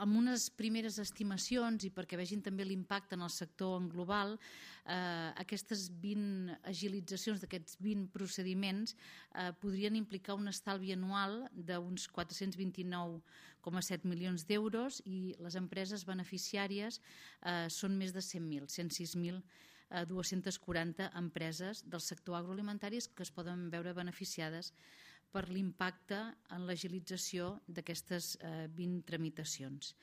amb unes primeres estimacions i perquè vegin també l'impacte en el sector en global, aquestes 20 agilitzacions d'aquests 20 procediments podrien implicar un estalvi anual d'uns 429,7 milions d'euros i les empreses beneficiàries són més de 100.000, 106.240 empreses del sector agroalimentari que es poden veure beneficiades per l'impacte en l'agilització d'aquestes 20 tramitacions.